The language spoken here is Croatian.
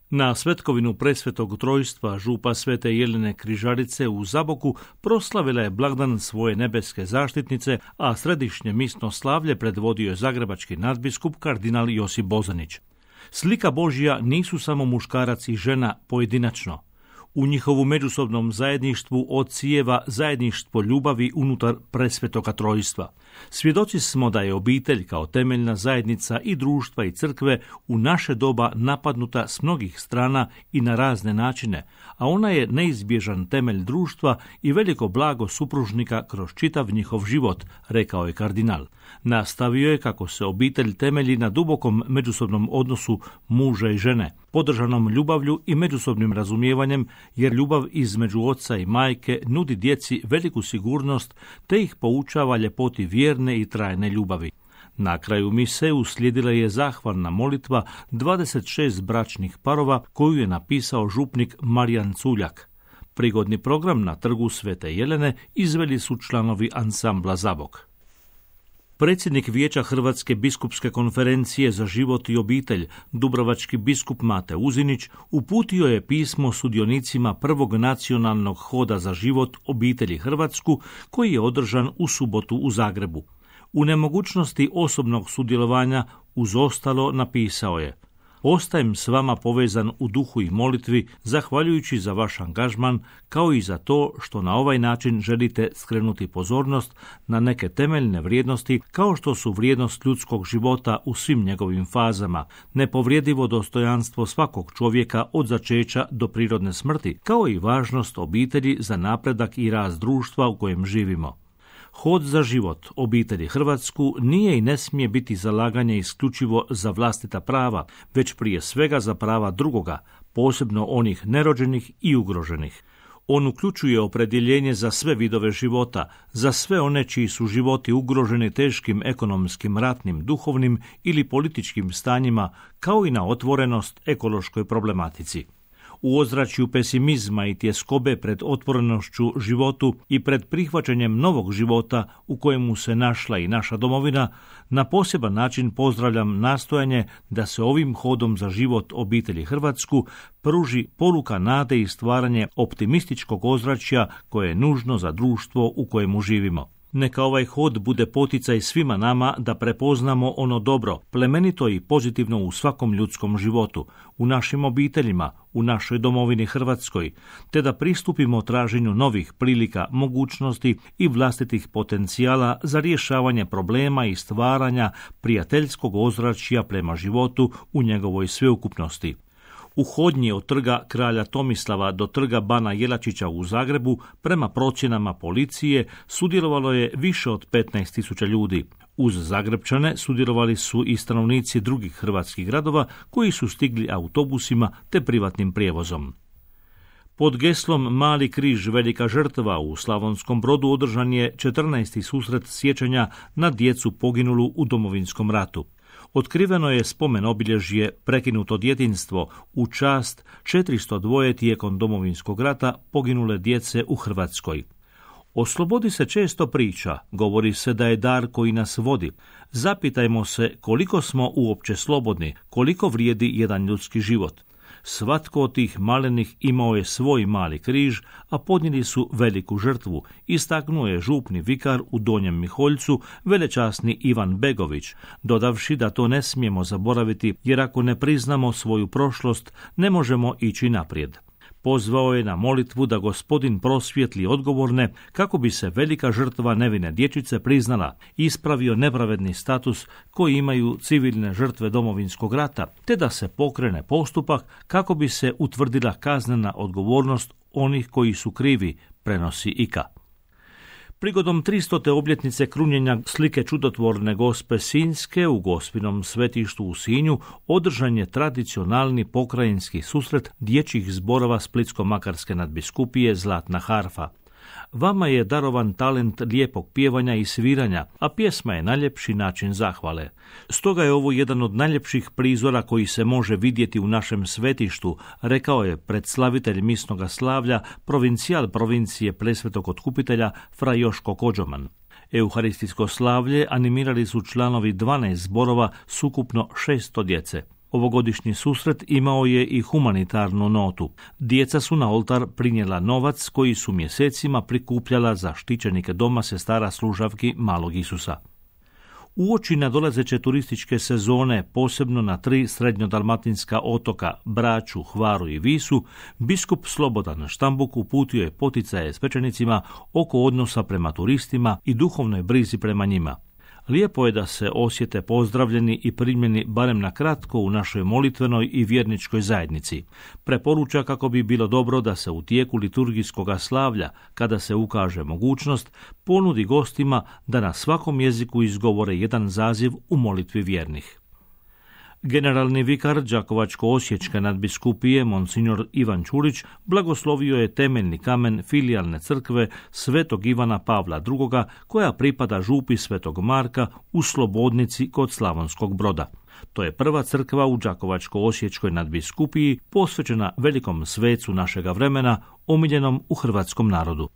Na svetkovinu Presvetog Trojstva župa Svete Jelene Križarice u Zaboku proslavila je blagdan svoje nebeske zaštitnice, a središnje misno slavlje predvodio je zagrebački nadbiskup kardinal Josip Bozanić. Slika Božja nisu samo muškarac i žena pojedinačno. U njihovu međusobnom zajedništvu odsijeva zajedništvo ljubavi unutar Presvetoga Trojstva. Svjedoci smo da je obitelj kao temeljna zajednica i društva i crkve u naše doba napadnuta s mnogih strana i na razne načine, a ona je neizbježan temelj društva i veliko blago supružnika kroz čitav njihov život, rekao je kardinal. Nastavio je kako se obitelj temelji na dubokom međusobnom odnosu muža i žene, podržanom ljubavlju i međusobnim razumijevanjem, jer ljubav između oca i majke nudi djeci veliku sigurnost te ih poučava ljepoti vjerne i trajne ljubavi. Na kraju mise uslijedila je zahvalna molitva 26 bračnih parova koju je napisao župnik Marijan Culjak. Prigodni program na trgu Svete Jelene izveli su članovi ansambla Zabok. Predsjednik Vijeća Hrvatske biskupske konferencije za život i obitelj, dubrovački biskup Mate Uzinić, uputio je pismo sudionicima prvog nacionalnog hoda za život obitelji Hrvatsku, koji je održan u subotu u Zagrebu. U nemogućnosti osobnog sudjelovanja uz ostalo napisao je: Ostajem s vama povezan u duhu i molitvi, zahvaljujući za vaš angažman, kao i za to što na ovaj način želite skrenuti pozornost na neke temeljne vrijednosti, kao što su vrijednost ljudskog života u svim njegovim fazama, nepovrijedivo dostojanstvo svakog čovjeka od začeća do prirodne smrti, kao i važnost obitelji za napredak i rast društva u kojem živimo. Hod za život obitelji Hrvatsku nije i ne smije biti zalaganje isključivo za vlastita prava, već prije svega za prava drugoga, posebno onih nerođenih i ugroženih. On uključuje opredjeljenje za sve vidove života, za sve one čiji su životi ugroženi teškim ekonomskim, ratnim, duhovnim ili političkim stanjima, kao i na otvorenost ekološkoj problematici. U ozračju pesimizma i tjeskobe pred otvorenošću životu i pred prihvaćanjem novog života u kojemu se našla i naša domovina, na poseban način pozdravljam nastojanje da se ovim hodom za život obitelji Hrvatsku pruži poruka nade i stvaranje optimističkog ozračja koje je nužno za društvo u kojemu živimo. Neka ovaj hod bude poticaj svima nama da prepoznamo ono dobro, plemenito i pozitivno u svakom ljudskom životu, u našim obiteljima, u našoj domovini Hrvatskoj, te da pristupimo traženju novih prilika, mogućnosti i vlastitih potencijala za rješavanje problema i stvaranja prijateljskog ozračja prema životu u njegovoj sveukupnosti. U hodnji od trga Kralja Tomislava do trga Bana Jelačića u Zagrebu, prema procjenama policije, sudjelovalo je više od 15.000 ljudi. Uz Zagrebčane sudjelovali su i stanovnici drugih hrvatskih gradova koji su stigli autobusima te privatnim prijevozom. Pod geslom Mali križ, velika žrtva u Slavonskom Brodu održan je 14. susret sjećanja na djecu poginulu u Domovinskom ratu. Otkriveno je spomen obilježje Prekinuto djetinjstvo u čast 402 tijekom Domovinskog rata poginule djece u Hrvatskoj. O slobodi se često priča, govori se da je dar koji nas vodi. Zapitajmo se koliko smo uopće slobodni, koliko vrijedi jedan ljudski život. Svatko od tih malenih imao je svoj mali križ, a podnijeli su veliku žrtvu, istaknuo je župni vikar u Donjem Miholjcu, velečasni Ivan Begović, dodavši da to ne smijemo zaboraviti, jer ako ne priznamo svoju prošlost, ne možemo ići naprijed. Pozvao je na molitvu da Gospodin prosvijetli odgovorne kako bi se velika žrtva nevine dječice priznala, ispravio nepravedni status koji imaju civilne žrtve Domovinskog rata, te da se pokrene postupak kako bi se utvrdila kaznena odgovornost onih koji su krivi, prenosi IKA. Prigodom 300. obljetnice krunjenja slike čudotvorne Gospe Sinjske u Gospinom svetištu u Sinju održan je tradicionalni pokrajinski susret dječjih zborova Splitsko-makarske nadbiskupije Zlatna harfa. Vama je darovan talent lijepog pjevanja i sviranja, a pjesma je najljepši način zahvale. Stoga je ovo jedan od najljepših prizora koji se može vidjeti u našem svetištu, rekao je predslavitelj misnoga slavlja, provincijal provincije Presvetog Otkupitelja fra Joško Kođoman. Euharistijsko slavlje animirali su članovi 12 zborova s ukupno 600 djece. Ovogodišnji susret imao je i humanitarnu notu. Djeca su na oltar prinijela novac koji su mjesecima prikupljala za štićenike doma sestara služavki Malog Isusa. Uoči nadolazeće turističke sezone, posebno na 3 srednjodalmatinska otoka, Braču, Hvaru i Visu, biskup Slobodan Štambuk uputio je poticaje svećenicima oko odnosa prema turistima i duhovnoj brizi prema njima. Lijepo je da se osjete pozdravljeni i primljeni barem na kratko u našoj molitvenoj i vjerničkoj zajednici. Preporuča kako bi bilo dobro da se u tijeku liturgijskoga slavlja, kada se ukaže mogućnost, ponudi gostima da na svakom jeziku izgovore jedan zaziv u molitvi vjernih. Generalni vikar Đakovačko-osječke nadbiskupije Monsignor Ivan Čurić blagoslovio je temeljni kamen filijalne crkve Svetog Ivana Pavla II, koja pripada župi Svetog Marka u Slobodnici kod Slavonskog Broda. To je prva crkva u Đakovačko-osječkoj nadbiskupiji posvećena velikom svecu našega vremena, omiljenom u hrvatskom narodu.